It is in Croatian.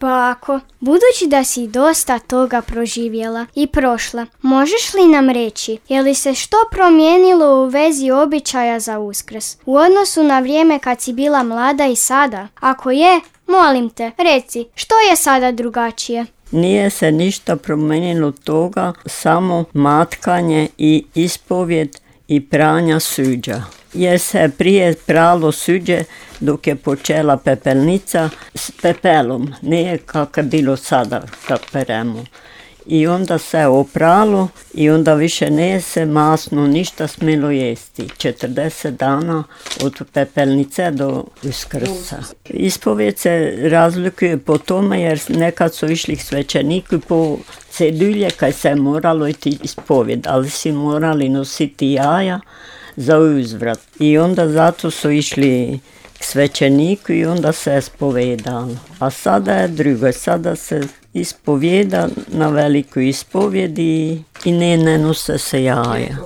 Bako, budući da si dosta toga proživjela i prošla, možeš li nam reći, je li se što promijenilo u vezi običaja za Uskrs u odnosu na vrijeme kad si bila mlada i sada? Ako je, molim te, reci, što je sada drugačije? Nije se ništa promijenilo toga, samo matkanje i ispovjed i pranja suđa. Jer se prije pralo suđe dok je počela pepelnica s pepelom, nije kako je bilo sada kad peremo. I onda se opralo i onda više nije se masno ništa smjelo jesti. 40 dana od pepelnice do Uskrsa. Ispovjed se razlikuje po tome jer nekad su išli svećeniku po cedulje kad se moralo iti ispovjed, ali si morali nositi jaja za uzvrat. I onda zato su išli k svećeniku i onda se ispovedalo. A sada je drugo, sada se ispovjeda na veliku ispovjedi i ne nose se jaja.